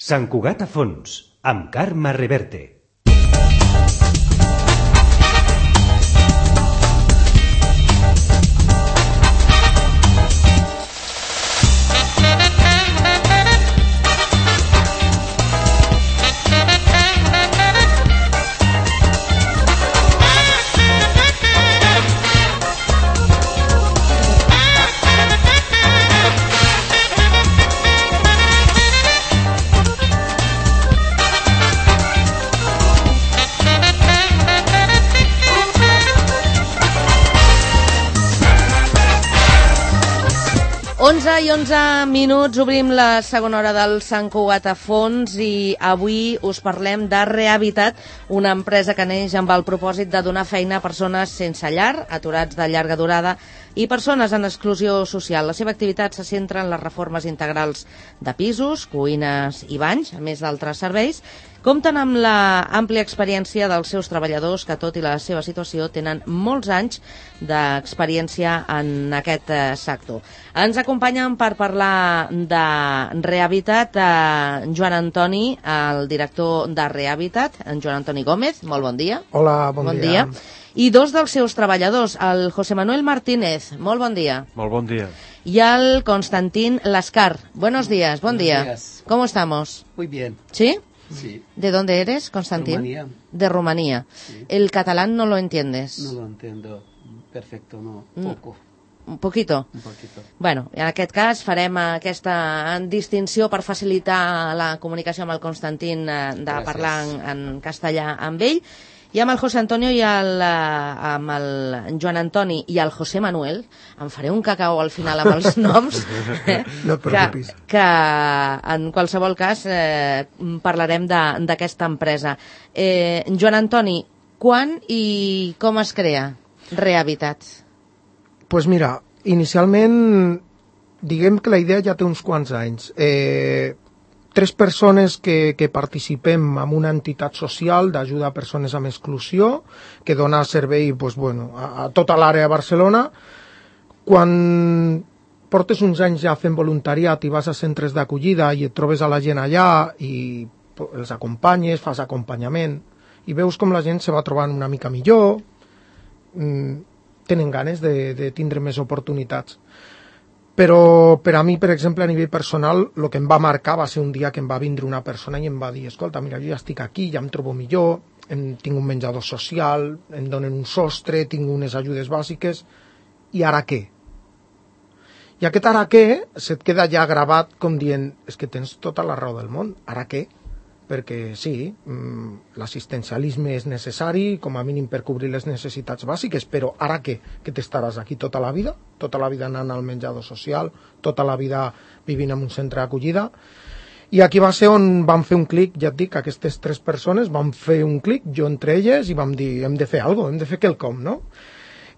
Sant Cugat a fons, amb Carme Reverte. I 11 minuts, obrim la segona hora del Sant Cugat a fons i avui us parlem de Rehabitat, una empresa que neix amb el propòsit de donar feina a persones sense llar, aturats de llarga durada i persones en exclusió social. La seva activitat se centra en les reformes integrals de pisos, cuines i banys, a més d'altres serveis. Compten amb la àmplia experiència dels seus treballadors que, tot i la seva situació, tenen molts anys d'experiència en aquest sector. Ens acompanyen per parlar de Rehabitat Joan Antoni, el director de Rehabitat, en Joan Antoni Gómez. Molt bon dia. Hola, bon dia. I dos dels seus treballadors, el José Manuel Martínez. Molt bon dia. Molt bon dia. Y al Constantín Lascar. Buenos días, buen día. Días. ¿Cómo estamos? Muy bien. ¿Sí? Sí. ¿De dónde eres, Constantín? Rumanía. De Rumanía. Sí. ¿El catalán no lo entiendes? No lo entiendo perfecto, no. Poco. Un poquito? Un poquito. Bueno, en aquest cas farem aquesta distinció per facilitar la comunicació amb el Constantín de Gràcies. Parlar en castellà amb ell. I amb el José Antonio i amb el Joan Antoni i el José Manuel, em faré un cacao al final amb els noms, No et preocupis. que en qualsevol cas parlarem d'aquesta empresa. Joan Antoni, quan i com es crea Rehabitat? Pues mira, inicialment, diguem que la idea ja té uns quants anys. Tres persones que participem en una entitat social d'ajuda a persones amb exclusió, que dona servei pues, bueno, a tota l'àrea de Barcelona. Quan portes uns anys ja fent voluntariat i vas a centres d'acollida i et trobes a la gent allà i els acompanyes, fas acompanyament i veus com la gent se va trobant una mica millor, tenen ganes de tindre més oportunitats. Però per a mi, per exemple, a nivell personal, el que em va marcar va ser un dia que em va vindre una persona i em va dir: escolta, mira, jo ja estic aquí, ja em trobo millor, tinc un menjador social, em donen un sostre, tinc unes ajudes bàsiques, i ara què? I aquest ara què se't queda ja gravat com dient: és que tens tota la raó del món, ara què? Perquè sí, l'assistencialisme és necessari, com a mínim per cobrir les necessitats bàsiques, però ara què? Que t'estaràs aquí tota la vida? Tota la vida anant al menjador social, tota la vida vivint en un centre d'acollida? I aquí va ser on vam fer un clic, ja et dic, aquestes tres persones vam fer un clic, jo entre elles, i vam dir: hem de fer alguna cosa, hem de fer quelcom, no?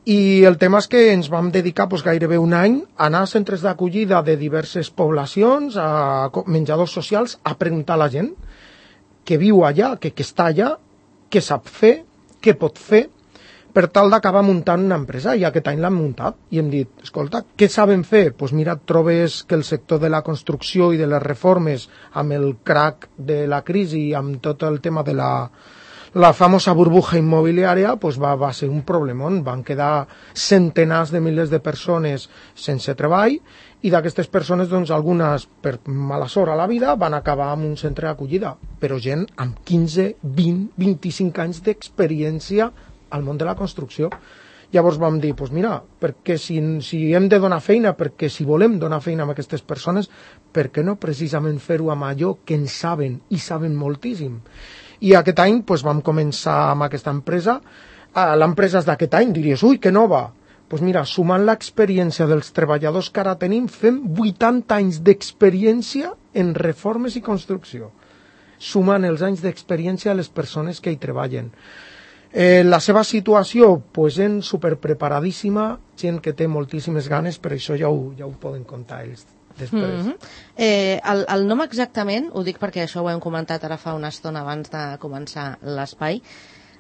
I el tema és que ens vam dedicar gairebé un any a anar a centres d'acollida de diverses poblacions, a menjadors socials, a preguntar a la gent que viu allà, que està allà, què sap fer, què pot fer, per tal d'acabar muntant una empresa. I aquest any l'hem muntat i hem dit: escolta, què saben fer? Doncs mira, et trobes que el sector de la construcció i de les reformes, amb el crack de la crisi, amb tot el tema de la famosa burbuja immobiliària, va ser un problemón. Van quedar centenars de milers de persones sense treball, i d'aquestes persones, doncs, algunes, per mala sort a la vida, van acabar en un centre d'acollida, però gent amb 15, 20, 25 anys d'experiència al món de la construcció. Llavors vam dir: doncs mira, perquè si hem de donar feina, perquè si volem donar feina a aquestes persones, per què no precisament fer-ho amb allò que en saben, i saben moltíssim? I aquest any vam començar amb aquesta empresa. L'empresa és d'aquest any, diries: ui, que nova! Doncs mira, sumant l'experiència dels treballadors que ara tenim, fem 80 anys d'experiència en reformes i construcció, sumant els anys d'experiència a les persones que hi treballen. La seva situació, gent superpreparadíssima, gent que té moltíssimes ganes, per això ja ho poden contar ells després. El nom exactament, ho dic perquè això ho hem comentat ara fa una estona abans de començar l'espai,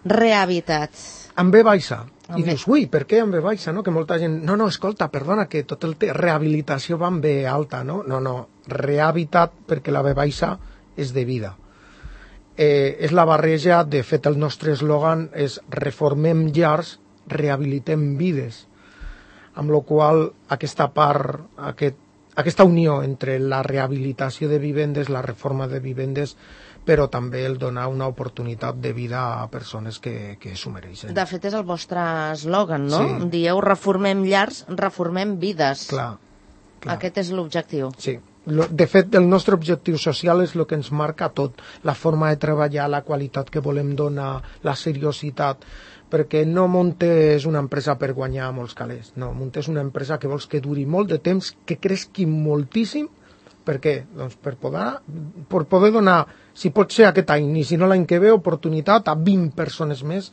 Rehabitat. Amb B baixa. I dius: ui, per què amb B baixa? No? Que molta gent... No, escolta, perdona, que rehabilitació va amb B alta, no? No, Rehabitat, perquè la B baixa és de vida. És la barreja, de fet el nostre eslògan és reformem llars, rehabilitem vides, amb la qual aquesta part, aquesta unió entre la rehabilitació de vivendes, la reforma de vivendes, però també el donar una oportunitat de vida a persones que s'ho mereixen. De fet, és el vostre eslògan, no? Sí. Dieu reformem llars, reformem vides. Clar. Aquest és l'objectiu. Sí. De fet, el nostre objectiu social és el que ens marca tot, la forma de treballar, la qualitat que volem donar, la seriositat, perquè no muntes una empresa per guanyar molts calés, no, muntes una empresa que vols que duri molt de temps, que creixi moltíssim. Per què? Doncs per poder donar, si pot ser aquest any, i si no l'any que ve, oportunitat a 20 persones més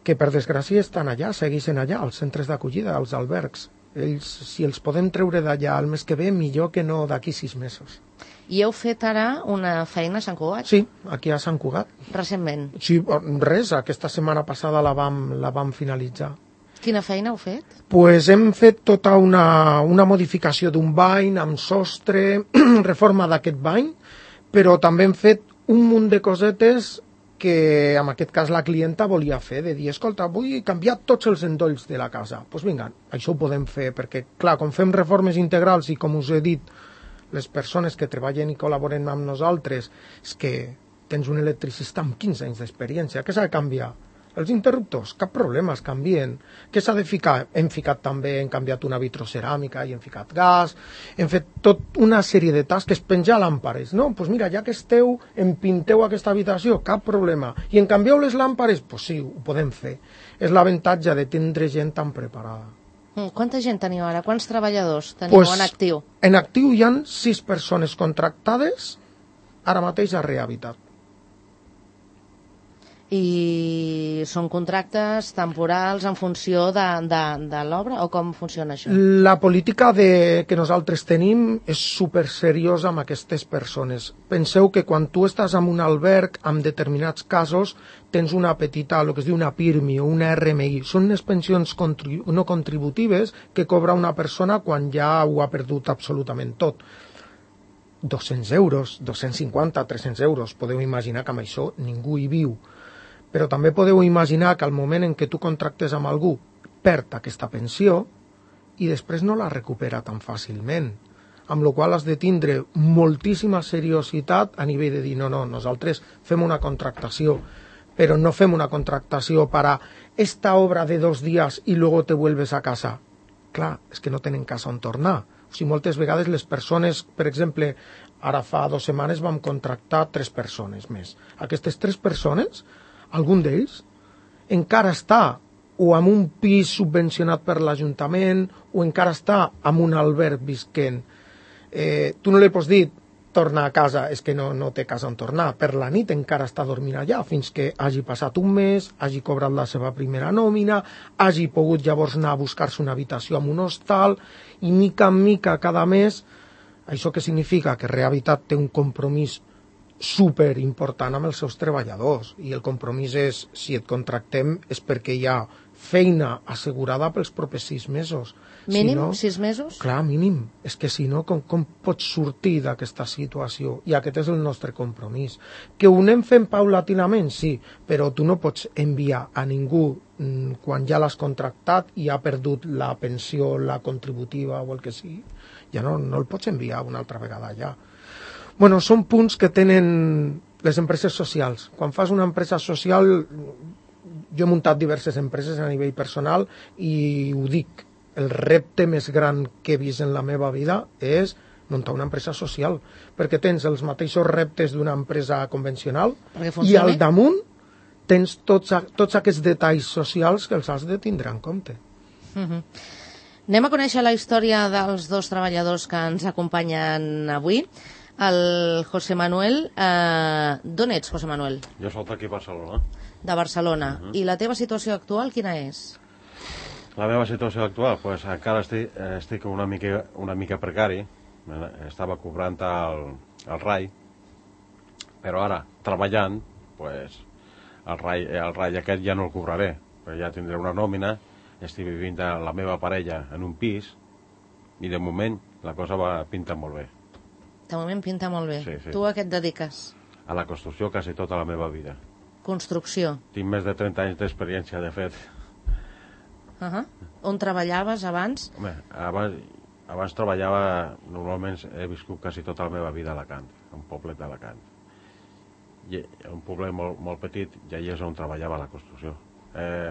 que per desgràcia estan allà, segueixen allà, als centres d'acollida, als albergs. Ells, si els podem treure d'allà el mes que ve, millor que no d'aquí 6 mesos. I heu fet ara una feina a Sant Cugat? Sí, aquí a Sant Cugat. Recentment? Sí, res, aquesta setmana passada la vam finalitzar. Quina feina heu fet? Pues hem fet tota una modificació d'un bany amb sostre, reforma d'aquest bany, però també hem fet un munt de cosetes que en aquest cas la clienta volia fer, de dir, escolta, vull canviar tots els endolls de la casa. Doncs vinga, això ho podem fer, perquè clar, com fem reformes integrals i com us he dit, les persones que treballen i col·laboren amb nosaltres, és que tens un electricista amb 15 anys d'experiència, què s'ha de canviar? Els interruptors, cap problema, es canvien. Què s'ha de ficar? Hem ficat també, hem canviat una vitroceràmica i hem ficat gas, hem fet tot una sèrie de tasques, penjar làmpares, no? Doncs mira, ja que esteu, em pinteu aquesta habitació, cap problema. I en canvieu les làmpares? Doncs sí, ho podem fer. És l'avantatge de tindre gent tan preparada. Quanta gent teniu ara? Quants treballadors teniu en actiu? En actiu hi ha 6 persones contractades, ara mateix a Rehabitat. I són contractes temporals en funció de l'obra o com funciona això? La política que nosaltres tenim és superseriosa amb aquestes persones. Penseu que quan tu estàs en un alberg, en determinats casos, tens una petita, el que es diu una PIRMI o una RMI. Són unes pensions no contributives que cobra una persona quan ja ho ha perdut absolutament tot. 200 euros, 250, 300 euros. Podeu imaginar que amb això ningú hi viu. Però també podeu imaginar que al moment en què tu contractes amb algú perd aquesta pensió i després no la recupera tan fàcilment, amb la qual has de tindre moltíssima seriositat a nivell de dir no, nosaltres fem una contractació, però no fem una contractació per a esta obra de 2 dies i luego te vuelves a casa. Clar, és que no tenen casa on tornar. O sigui, moltes vegades les persones, per exemple, ara fa 2 setmanes vam contractar 3 persones més. Aquestes 3 persones, algun d'ells encara està o en un pis subvencionat per l'Ajuntament o encara està en un alberg visquent. Tu no li pots dir torna a casa, és que no té casa on tornar. Per la nit encara està dormint allà fins que hagi passat un mes, hagi cobrat la seva primera nòmina, hagi pogut llavors anar a buscar-se una habitació en un hostal i mica en mica cada mes. Això què significa? Que Rehabitat té un compromís super important amb els seus treballadors i el compromís és, si et contractem és perquè hi ha feina assegurada pels propers 6 mesos. Mínim, si no, 6 mesos? Clar, mínim. És que si no, com pots sortir d'aquesta situació? I aquest és el nostre compromís. Que ho anem fent paulatinament, sí, però tu no pots enviar a ningú quan ja l'has contractat i ha perdut la pensió, la contributiva o el que sigui. Ja no el pots enviar una altra vegada allà. Bueno, són punts que tenen les empreses socials. Quan fas una empresa social, jo he muntat diverses empreses a nivell personal i ho dic, el repte més gran que he vist en la meva vida és muntar una empresa social, perquè tens els mateixos reptes d'una empresa convencional i al damunt tens tots aquests detalls socials que els has de tindre en compte. Anem a conèixer la història dels 2 treballadors que ens acompanyen avui. El José Manuel, d'on ets, José Manuel? Jo soc d'aquí a Barcelona. De Barcelona. I la teva situació actual quina és? La meva situació actual, pues, encara estic una mica precari. Estava cobrant el RAI, però ara, treballant, pues, el RAI aquest ja no el cobraré. Ja tindré una nòmina, estic vivint amb la meva parella en un pis, i de moment la cosa va pintar molt bé. De moment pinta molt bé. Sí, sí. Tu a què et dediques? A la construcció quasi tota la meva vida. Construcció. Tinc més de 30 anys d'experiència, de fet. On treballaves abans? Home, abans treballava, normalment he viscut quasi tota la meva vida a Alacant, un poblet d'Alacant. I un poblet molt petit, i allà és on treballava a la construcció.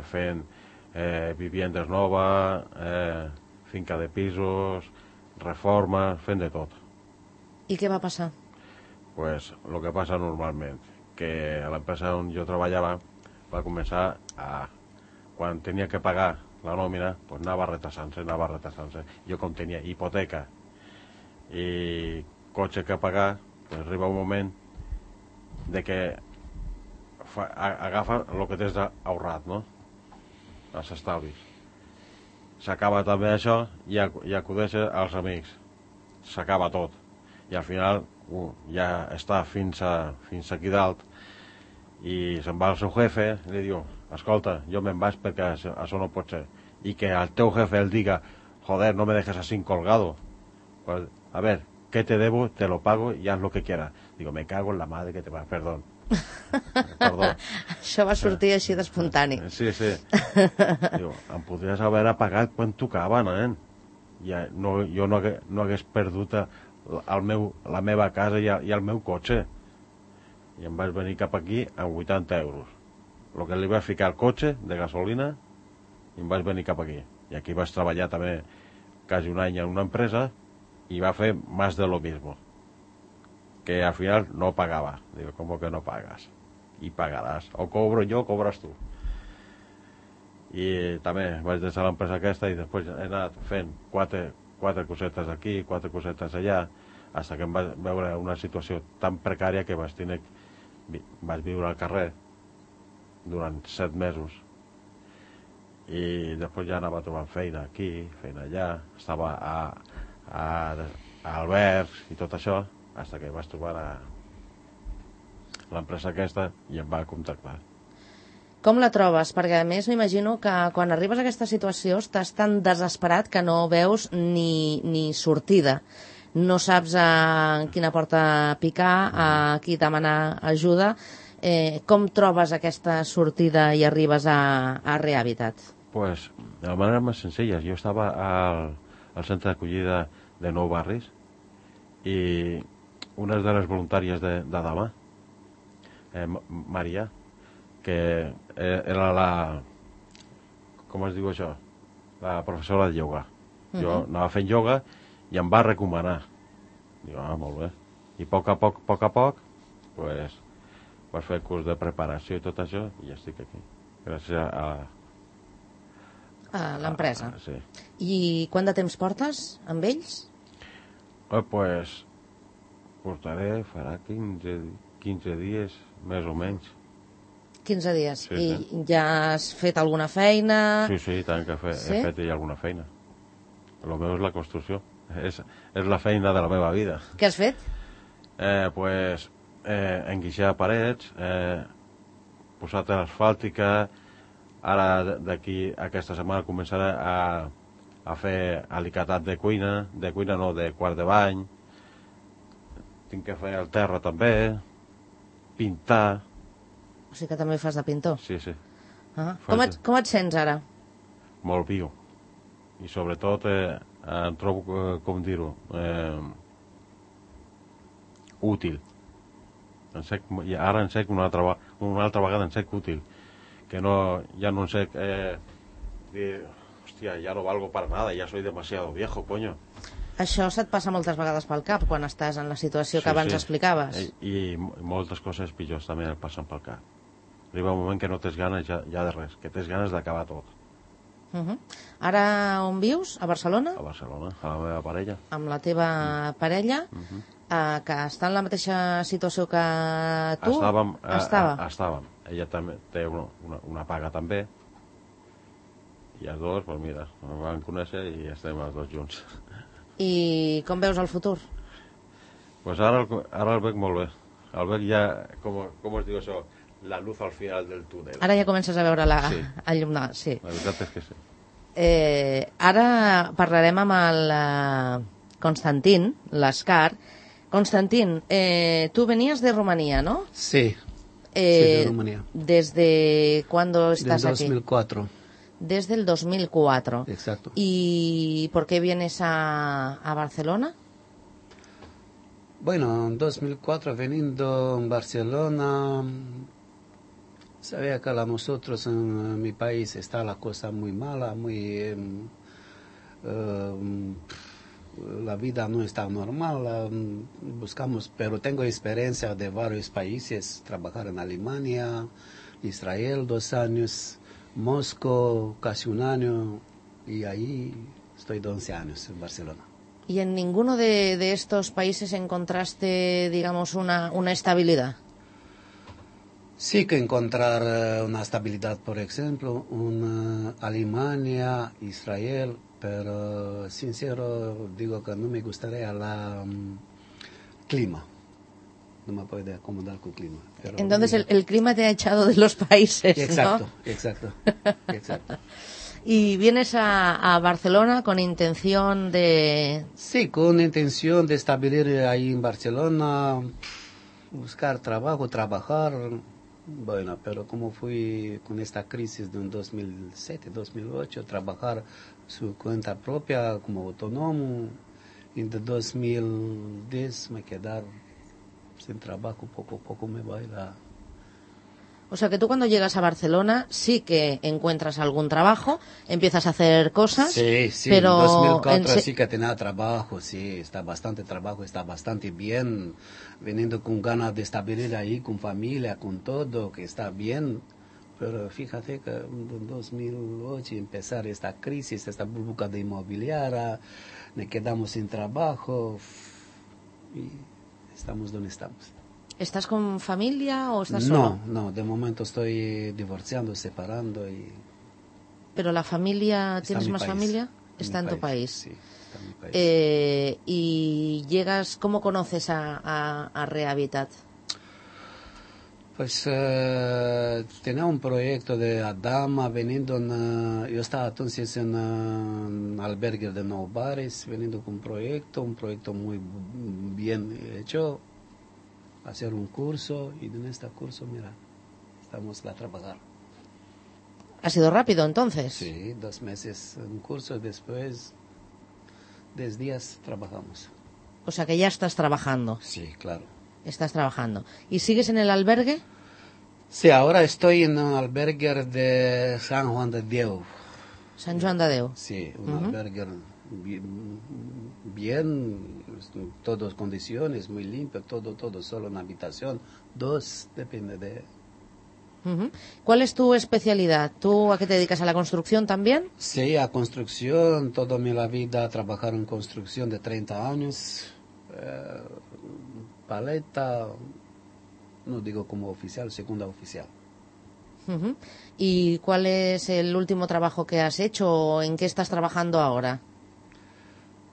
Fent viviendes noves, finca de pisos, reformes, fent de tot. I què va passar? Pues el que passa normalment, que a l'empresa on jo treballava va començar a... Quan tenia que pagar la nòmina, pues anava retrasant-se. Jo com tenia hipoteca i cotxe que pagar, pues arriba un moment de que agafa el que tens ahorrat, no? Els estalvis. S'acaba també això i acudeix als amics. S'acaba tot. I al final ja està fins aquí dalt i se'n va al seu jefe i li diu, escolta, jo me'n vaig perquè això no pot ser. I que al teu jefe el diga, joder, no me dejes así colgado. Pues, a ver, ¿qué te debo? Te lo pago y haz lo que quieras. Digo, me cago en la madre que te va, perdón. Perdó. Això va sortir així d'espontani. Sí. Diu, em podries haver pagat quan tocava, nen. Jo no hagués perdut la meva casa i el meu cotxe. I em vaig venir cap aquí amb 80 euros. El que li vaig ficar al cotxe de gasolina i em vaig venir cap aquí. I aquí vaig treballar també quasi un any en una empresa i va fer más de lo mismo. Que al final no pagava. Digo, ¿cómo que no pagas? I pagaràs. O cobro jo o cobres tu. I també vaig deixar l'empresa aquesta i després he anat fent quatre cosetes aquí, 4 cosetes allà, fins que em vaig veure una situació tan precària que vaig viure al carrer durant 7 mesos. I després ja anava trobant feina aquí, feina allà, estava a Albergs i tot això, fins que vaig trobar l'empresa aquesta i em va contactar. Com la trobes? Perquè a més m'imagino que quan arribes a aquesta situació estàs tan desesperat que no veus ni sortida. No saps a quina porta picar, a qui demanar ajuda. Com trobes aquesta sortida i arribes a Rehàbitat? Pues de la manera més senzilla. Jo estava al centre d'acollida de Nou Barris i una de les voluntàries de demà, Maria, que era com es diu això? La professora de ioga. Jo anava fent ioga i em va recomanar. Dic, molt bé. I a poc, pues, vaig fer curs de preparació i tot això i ja estic aquí. Gràcies a l'empresa. Sí. I quant de temps portes amb ells? Pues portaré, farà 15 dies, més o menys. 15 dies. Sí. I ja has fet alguna feina? Sí, tant que he fet ja alguna feina. El meu és la construcció. És la feina de la meva vida. Què has fet? Pues enguixar parets, posar asfàltica. Ara d'aquí aquesta setmana començaré a fer alicatat de cuina no, de quart de bany. Tinc que fer el terra també, pintar. O sigui que també fas de pintor? Sí. Com et sents ara? Molt viu. I sobretot em trobo, com dir-ho, útil. Ara en sec una altra vegada en sec útil. Que ja no en sec dir, hòstia, ja no valgo para nada, ja soy demasiado viejo, coño. Això se't passa moltes vegades pel cap quan estàs en la situació que abans explicaves. I moltes coses pitjors també et passen pel cap. Arriba un moment que no tens ganes ja de res, que tens ganes d'acabar tot. Ara on vius? A Barcelona? A Barcelona, a la meva parella. Amb la teva parella, que està en la mateixa situació que tu? Estàvem. Ella també té una paga també. I els dos, doncs mira, ens vam conèixer i estem els dos junts. I com veus el futur? Pues ara el veig molt bé. El veig ja, com es diu això, la luz al final del túnel. Ara ja comences a veure el llum. Sí. La veritat és que sí. Ara parlarem amb el Constantin Lascar, Constantín, tú venías de Rumanía, ¿no? Sí, de Rumanía. ¿Desde cuándo estás Desde aquí? 2004. Desde el 2004. Exacto. ¿Y por qué vienes a Barcelona? Bueno, en 2004 veniendo en Barcelona, sabía que a nosotros en mi país está la cosa muy mala, la vida no está normal, buscamos, pero tengo experiencia de varios países, trabajar en Alemania, Israel 2 años, Moscú casi 1 año, y ahí estoy 11 años en Barcelona. ¿Y en ninguno de estos países encontraste, digamos, una estabilidad? Sí que encontrar una estabilidad, por ejemplo, en Alemania, Israel, pero sincero digo que no me gustaría clima. No me puedo acomodar con el clima. Pero Entonces el clima te ha echado de los países, exacto, ¿no? exacto. ¿Y vienes a Barcelona con intención de...? Sí, con intención de establecer ahí en Barcelona, buscar trabajo, trabajar. Bueno, pero como fui con esta crisis de 2007, 2008, trabajar su cuenta propia como autónomo, y de 2010 me quedar sin trabajo, poco a poco me va la... O sea que tú cuando llegas a Barcelona sí que encuentras algún trabajo, empiezas a hacer cosas, Sí, pero en 2004 sí que tenía trabajo, sí, está bastante trabajo, está bastante bien, veniendo con ganas de estabilidad ahí, con familia, con todo, que está bien, pero fíjate que en 2008 empezar esta crisis, esta burbuja de inmobiliaria, me quedamos sin trabajo y estamos donde estamos. ¿Estás con familia o estás solo? No, de momento estoy divorciando, separando y... ¿Pero la familia, Está tienes en mi más país. familia? En Está mi en tu país. Sí, está en mi país. Y llegas, ¿cómo conoces a Rehabitat? Pues tenía un proyecto de Adama veniendo yo estaba entonces en un albergue de No Bares, veniendo con un proyecto muy bien hecho, hacer un curso y en este curso, mira, estamos a trabajar. ¿Ha sido rápido entonces? Sí, 2 meses un curso, después 10 días trabajamos. O sea que ya estás trabajando. Sí, claro. Estás trabajando. ¿Y sigues en el albergue? Sí, ahora estoy en un albergue de San Juan de Dios. San Joan de Déu. Sí, un albergue bien, todas condiciones, muy limpio, todo, solo una habitación, 2, depende de... Ujú. ¿Cuál es tu especialidad? ¿Tú a qué te dedicas? ¿A la construcción también? Sí, a construcción, toda mi vida trabajar en construcción de 30 años, paleta, no digo como oficial, segunda oficial. Ujú. ¿Y cuál es el último trabajo que has hecho o en qué estás trabajando ahora?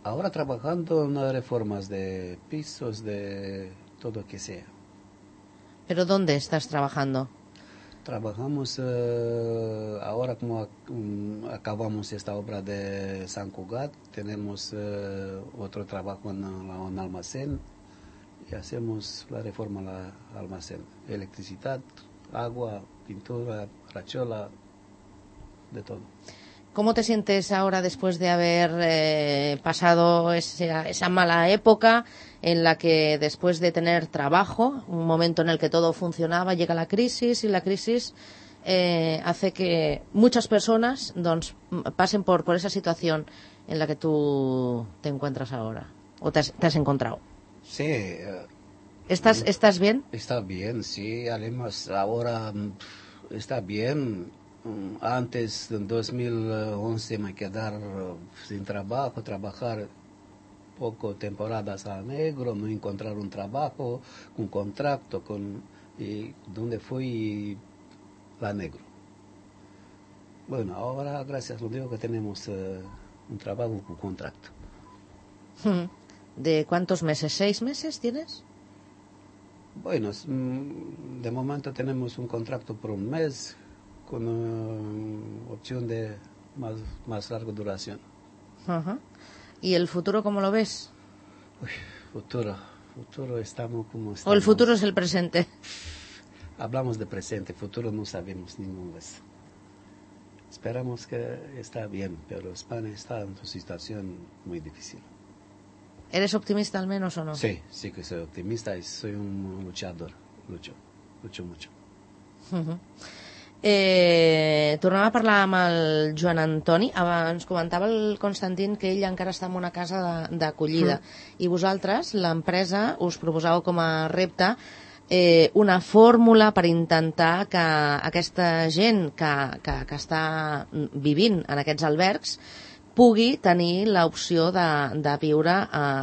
Ahora trabajando en reformas de pisos, de todo que sea. ¿Pero dónde estás trabajando? Trabajamos ahora como acabamos esta obra de San Cugat, tenemos otro trabajo en un almacén y hacemos la reforma al almacén. Electricidad, agua, pintura, rachola, de todo. ¿Cómo te sientes ahora después de haber pasado esa mala época en la que después de tener trabajo, un momento en el que todo funcionaba, llega la crisis y la crisis hace que muchas personas pasen por esa situación en la que tú te encuentras ahora o te has encontrado? Sí. ¿Estás bien? Está bien, sí. Además, ahora está bien. Antes, en 2011, me quedar sin trabajo, trabajar poco temporadas a negro, no encontrar un trabajo, un contrato, y donde fui la negro. Bueno, ahora, gracias a Dios que tenemos un trabajo con contrato. ¿De cuántos meses? ¿6 meses tienes? Bueno, de momento tenemos un contrato por 1 mes, con opción de más larga duración. ¿Y el futuro cómo lo ves? Futuro. Futuro estamos como estamos. ¿O el futuro es el presente? Hablamos de presente, futuro no sabemos ninguna vez. Esperamos que está bien, pero España está en una situación muy difícil. ¿Eres optimista al menos o no? Sí, sí que soy optimista y soy un luchador. Lucho mucho. Tornem a parlar amb el Joan Antoni. Ens comentava el Constantín que ell encara està en una casa d'acollida i vosaltres, l'empresa, us proposàveu com a repte una fórmula per intentar que aquesta gent que està vivint en aquests albergs pugui tenir l'opció de viure,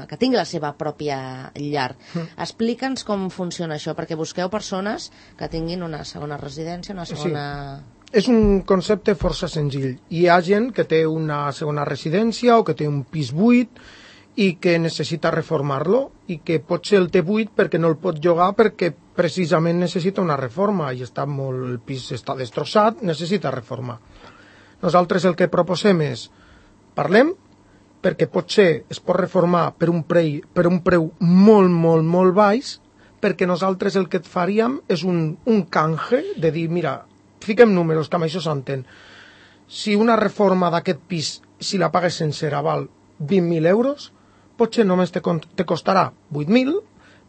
que tingui la seva pròpia llar. Explica'ns com funciona això, perquè busqueu persones que tinguin una segona residència, una segona... Sí. És un concepte força senzill. Hi ha gent que té una segona residència o que té un pis buit i que necessita reformar-lo i que potser el té buit perquè no el pot llogar perquè precisament necessita una reforma i el pis està destrossat, necessita reforma. Nosaltres el que proposem és parlem, perquè potser es pot reformar per un preu molt baix, perquè nosaltres el que et faríem és un canje de dir, mira, fiquem números, que amb això s'entén. Si una reforma d'aquest pis, si la pagues sencera, val 20.000 euros, potser només te costarà 8.000.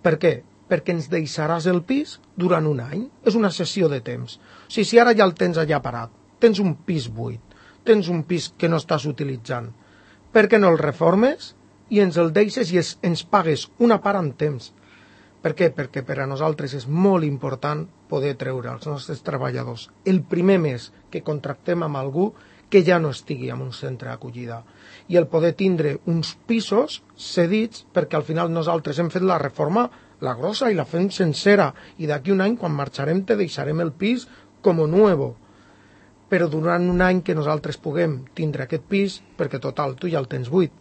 Per què? Perquè ens deixaràs el pis durant un any. És una sessió de temps. O sigui, si ara ja el tens allà parat, tens un pis buit, tens un pis que no estàs utilitzant, per què no el reformes i ens el deixes i ens pagues una part en temps? Per què? Perquè per a nosaltres és molt important poder treure als nostres treballadors el primer mes que contractem amb algú que ja no estigui en un centre d'acollida i el poder tindre uns pisos cedits, perquè al final nosaltres hem fet la reforma, la grossa, i la fem sencera, i d'aquí un any quan marxarem te deixarem el pis com nuevo, però durant un any que nosaltres puguem tindre aquest pis, perquè total, tu ja el tens buit,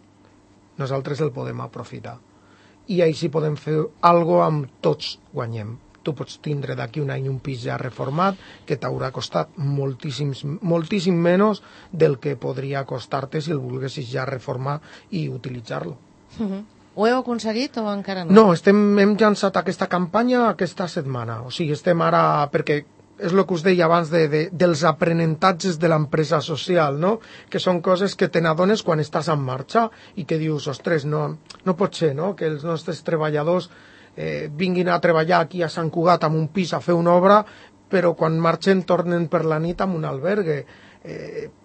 nosaltres el podem aprofitar. I així podem fer alguna cosa amb tots guanyem. Tu pots tindre d'aquí un any un pis ja reformat que t'haurà costat moltíssim menys del que podria costar-te si el volguessis ja reformar i utilitzar-lo. Ho heu aconseguit o encara no? No, hem llançat aquesta campanya aquesta setmana. O sigui, estem ara... perquè és el que us deia abans dels aprenentatges de l'empresa social, no? Que són coses que te n'adones quan estàs en marxa i que dius, ostres, no pot ser, no? Que els nostres treballadors vinguin a treballar aquí a Sant Cugat amb un pis a fer una obra, però quan marxen tornen per la nit amb un albergue.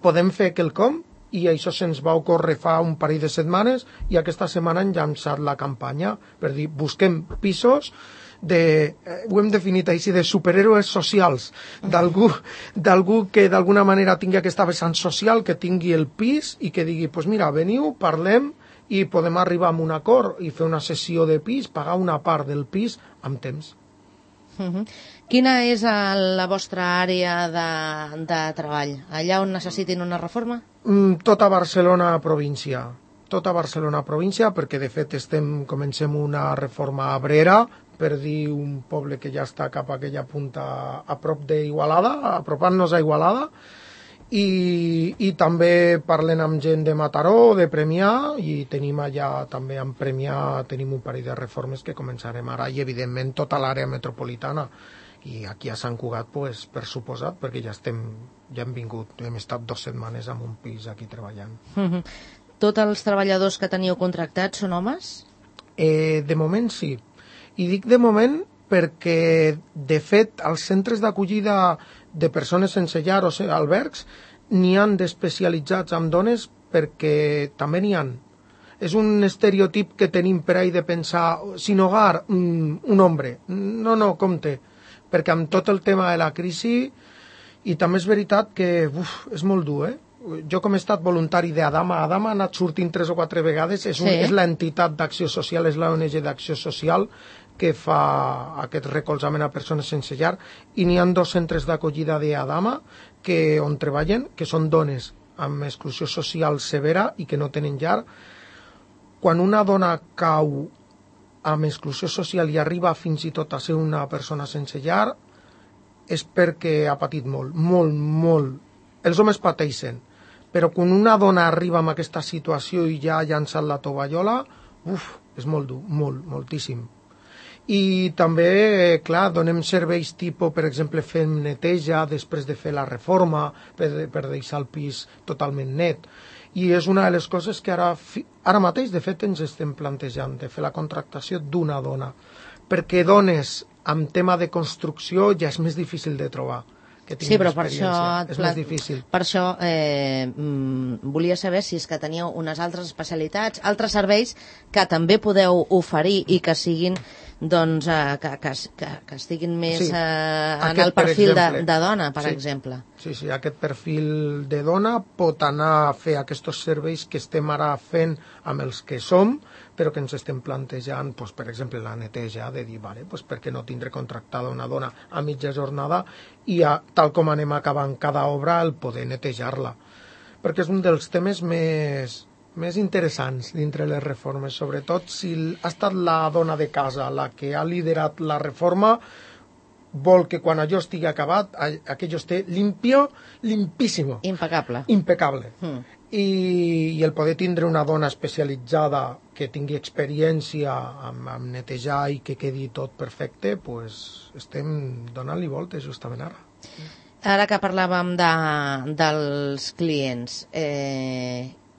Podem fer quelcom? I això se'ns va ocórrer fa un parell de setmanes i aquesta setmana hem llançat la campanya per dir, busquem pisos ho hem definit així, de superhéroes socials, d'algú que d'alguna manera tingui aquesta vessant social, que tingui el pis i que digui, doncs mira, veniu, parlem i podem arribar a un acord i fer una sessió de pis, pagar una part del pis amb temps. Quina és la vostra àrea de treball? Allà on necessitin una reforma? Tota Barcelona província. Tota Barcelona província, perquè de fet comencem una reforma a Abrera, per dir un poble que ja està cap a aquella punta a prop d'Igualada, apropant-nos a Igualada, i també parlen amb gent de Mataró, de Premià, i tenim allà també en Premià tenim un parell de reformes que començarem ara, i evidentment tota l'àrea metropolitana, i aquí a Sant Cugat, pues, per suposat, perquè ja hem vingut, hem estat 2 setmanes en un pis aquí treballant. Tots els treballadors que teniu contractats són homes? De moment sí. I dic de moment perquè, de fet, als centres d'acollida de persones sense llar o albergs n'hi han d'especialitzats amb dones perquè també n'hi han. És un estereotip que tenim per ahí de pensar, sin hogar, un hombre. No, compte, perquè amb tot el tema de la crisi, i també és veritat que és molt dur, Jo com he estat voluntari d'Adama, Adama ha anat sortint 3 o 4 vegades, és l'entitat d'acció social, és l'ONG d'acció social que fa aquest recolzament a persones sense llar, i n'hi ha 2 centres d'acollida d'Adama on treballen, que són dones amb exclusió social severa i que no tenen llar. Quan una dona cau amb exclusió social i arriba fins i tot a ser una persona sense llar, és perquè ha patit molt. Els homes pateixen, però quan una dona arriba amb aquesta situació i ja ha llançat la tovallola, és molt dur, moltíssim. I també, clar, donem serveis tipus, per exemple, fem neteja després de fer la reforma per deixar el pis totalment net. I és una de les coses que ara mateix, de fet, ens estem plantejant, de fer la contractació d'una dona. Perquè dones amb tema de construcció ja és més difícil de trobar. Sí, però per això, és més difícil. Per això volia saber si és que teníeu unes altres especialitats, altres serveis que també podeu oferir i que siguin, doncs, que estiguin més en el perfil de dona, per exemple. Sí, aquest perfil de dona pot anar a fer aquests serveis que estem ara fent amb els que som, però que ens estem plantejant, doncs, per exemple, la neteja, de dir, vale, doncs, per què no tindre contractada una dona a mitja jornada i, tal com anem acabant cada obra, el poder netejar-la. Perquè és un dels temes més interessants dintre les reformes, sobretot si ha estat la dona de casa la que ha liderat la reforma, vol que quan allò estigui acabat, aquello esté limpíssimo. Impecable. I el poder tindre una dona especialitzada que tingui experiència amb netejar i que quedi tot perfecte, pues estem donant-li voltes justament ara. Ara que parlàvem dels clients,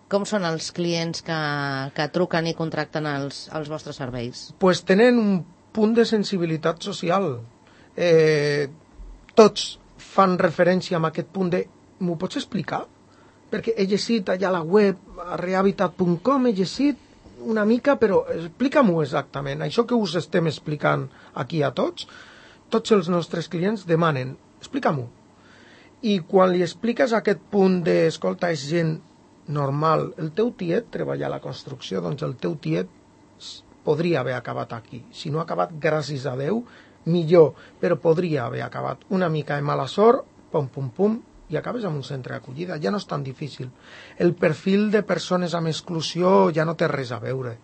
com són els clients que truquen i contracten els vostres serveis? Pues tenen un punt de sensibilitat social. Tots fan referència a aquest punt de m'ho pots explicar? Perquè he llegit allà a la web, a rehabitat.com, he llegit una mica, però explica-m'ho exactament. Això que us estem explicant aquí a tots els nostres clients demanen, explica-m'ho. I quan li expliques aquest punt de, escolta, és gent normal, el teu tiet treballa a la construcció, doncs el teu tiet podria haver acabat aquí. Si no ha acabat, gràcies a Déu, millor, però podria haver acabat una mica de mala sort, pum, i acabes en un centre d'acollida. Ja no és tan difícil. El perfil de persones amb exclusió ja no té res a veure.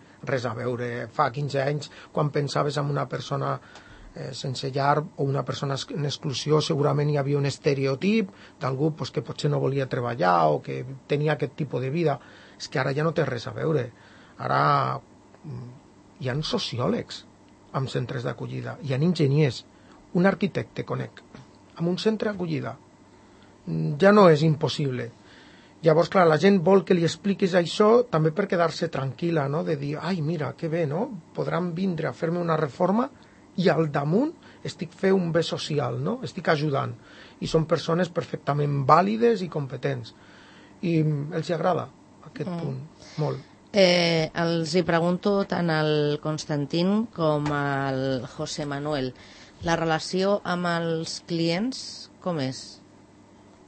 Fa 15 anys, quan pensaves en una persona sense llar o una persona en exclusió, segurament hi havia un estereotip d'algú que potser no volia treballar o que tenia aquest tipus de vida. És que ara ja no té res a veure. Ara hi ha sociòlegs amb centres d'acollida, hi ha enginyers, un arquitecte conec, amb un centre d'acollida. Ja no és impossible. Llavors, clar, la gent vol que li expliquis això també per quedar-se tranquil·la, no? De dir, ai, mira, que bé, no? Podran vindre a fer-me una reforma i al damunt estic fent un bé social, no? Estic ajudant. I són persones perfectament vàlides i competents. I els agrada aquest punt, molt. Els hi pregunto tant al Constantín com al José Manuel. La relació amb els clients, com és?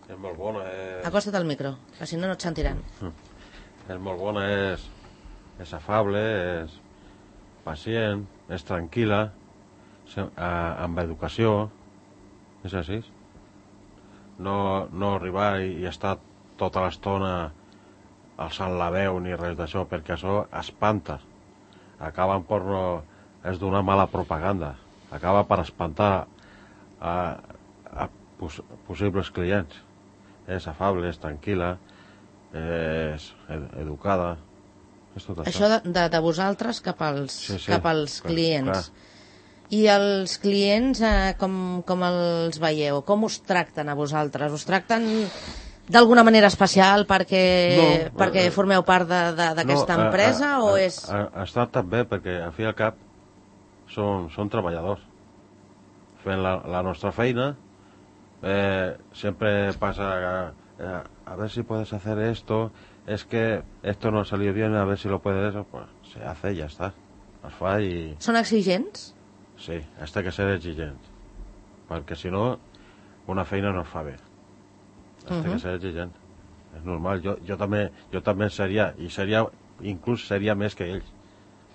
És molt bona. Acosta't al micro, que si no et sentiran. És molt bona, és afable, és pacient, és tranquil·la, amb educació, és així. No arribar i estar tota l'estona alçant la veu ni res d'això, perquè això espanta. Acaben per no... és donar mala propaganda. Acaba per espantar a possibles clients. És afable, és tranquil·la, és educada, és tot això. Això de vosaltres cap als clients. I els clients, com els veieu? Com us tracten a vosaltres? Us tracten d'alguna manera especial perquè formeu part d'aquesta empresa o és... Està tan bé perquè al fi i al cap són treballadors fent la nostra feina. Siempre pasa a ver si puedes hacer esto, es que esto no ha salido bien, a ver si lo puedes, pues se hace y ya está, es fa i... Són exigents? Sí, has de ser exigent, perquè si no una feina no es fa bé. Has de ser exigent, és normal. Jo també seria, i inclús seria més que ells,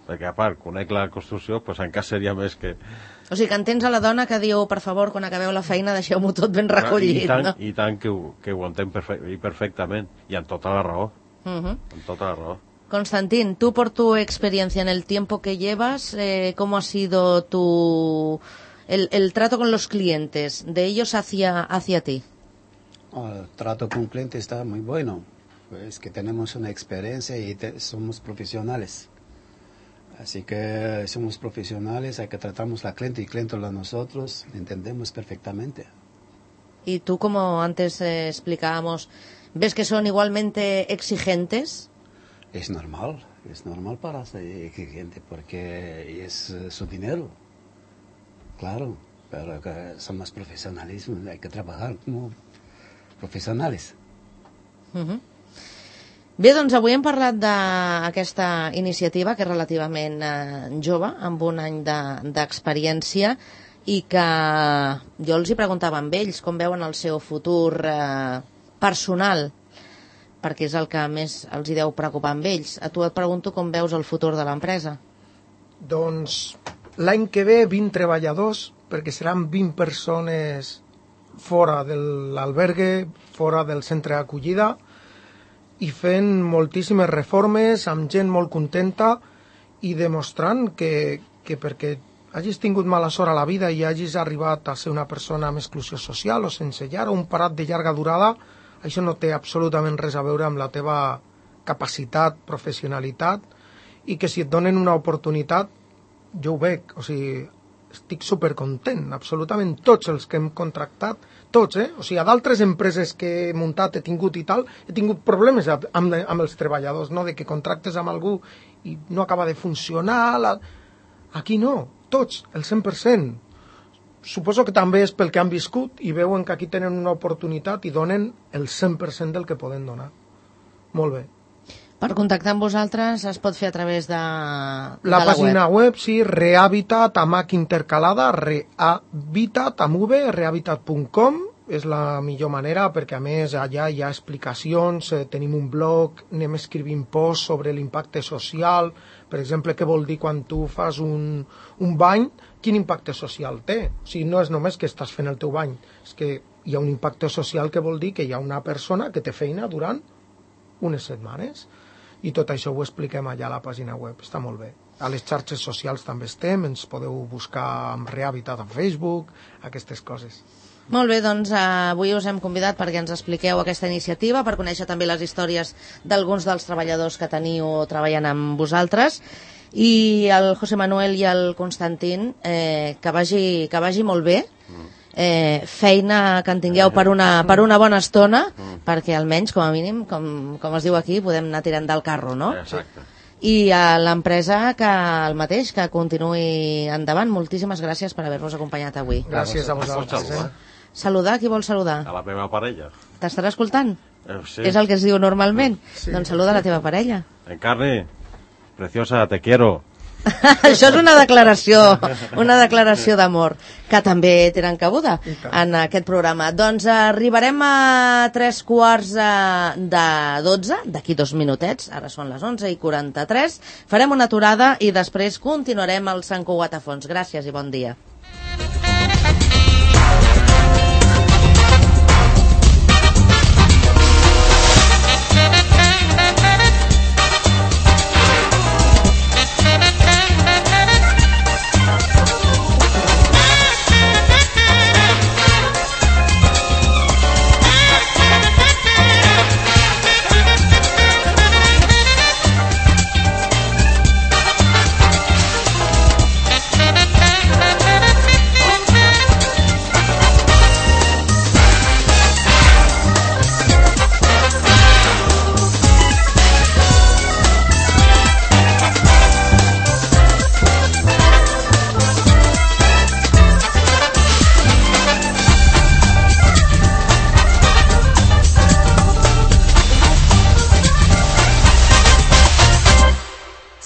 perquè a part conec la construcció, doncs encara seria més que... O sigui que entens a la dona que diu, per favor, quan acabeu la feina deixeu-m'ho tot ben recollit, ¿no? I tant que ho entenc perfectament, i amb tota la raó. Amb tota la raó. Constantín, tú por tu experiencia en el tiempo que llevas, ¿cómo ha sido el trato con los clientes, de ellos hacia ti? El trato con clientes está muy bueno, pues que tenemos una experiencia y somos profesionales. Así que somos profesionales, hay que tratamos la cliente y cliente a nosotros, entendemos perfectamente. Y tú, como antes explicábamos, ¿ves que son igualmente exigentes? Es normal para ser exigente porque es su dinero, claro, pero que somos profesionales, hay que trabajar como professionals. Bé, doncs avui hem parlat d'aquesta iniciativa que és relativament jove, amb un any d'experiència, i que jo els hi preguntava amb ells com veuen el seu futur personal, perquè és el que més els hi deu preocupar amb ells. A tu et pregunto com veus el futur de l'empresa. Doncs l'any que ve 20 treballadors, perquè seran 20 persones fora de l'albergue, fora del centre d'acollida, i fent moltíssimes reformes, amb gent molt contenta i demostrant que perquè hagis tingut mala sort a la vida i hagis arribat a ser una persona amb exclusió social o sense llar o un parat de llarga durada, això no té absolutament res a veure amb la teva capacitat, professionalitat, i que si et donen una oportunitat, jo ho veig, o sigui, estic supercontent, absolutament tots els que hem contractat, tots, o sigui, a d'altres empreses que he muntat, he tingut i tal, he tingut problemes amb els treballadors, no?, de que contractes amb algú i no acaba de funcionar, aquí no, tots, el 100%. Suposo que també és pel que han viscut i veuen que aquí tenen una oportunitat i donen el 100% del que poden donar. Molt bé. Per contactar amb vosaltres es pot fer a través de la pàgina web, sí, Rehabitat, amb H intercalada, Rehabitat, amb V, rehabitat.com, és la millor manera, perquè a més allà hi ha explicacions, tenim un blog, anem escrivint posts sobre l'impacte social, per exemple, què vol dir quan tu fas un bany, quin impacte social té. O sigui, no és només que estàs fent el teu bany, és que hi ha un impacte social que vol dir que hi ha una persona que té feina durant unes setmanes. I tot això ho expliquem allà a la pàgina web, està molt bé. A les xarxes socials també estem, ens podeu buscar amb Rehabitat a Facebook, aquestes coses. Molt bé, doncs avui us hem convidat perquè ens expliqueu aquesta iniciativa, per conèixer també les històries d'alguns dels treballadors que teniu treballant amb vosaltres, i el José Manuel i el Constantín, que vagi molt bé, feina que en tingueu per una bona estona, perquè almenys, com a mínim, com es diu aquí, podem anar tirant del carro, no? Exacte. I a l'empresa que el mateix, que continuï endavant. Moltíssimes gràcies per haver-nos acompanyat avui. Gràcies a vosaltres. Saludar, qui vol saludar? A la meva parella. T'estarà escoltant? Sí. És el que es diu normalment? Sí. Doncs saluda la teva parella. Encarni, preciosa, te quiero. Això és una declaració d'amor, que també tenen cabuda en aquest programa. Doncs arribarem a 11:45, d'aquí 2 minutets, ara són les 11:43, farem una aturada i després continuarem al Sant Cugat a fons. Gràcies i bon dia.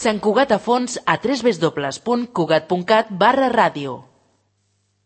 Sant Cugat a fons a www.cugat.cat/ràdio.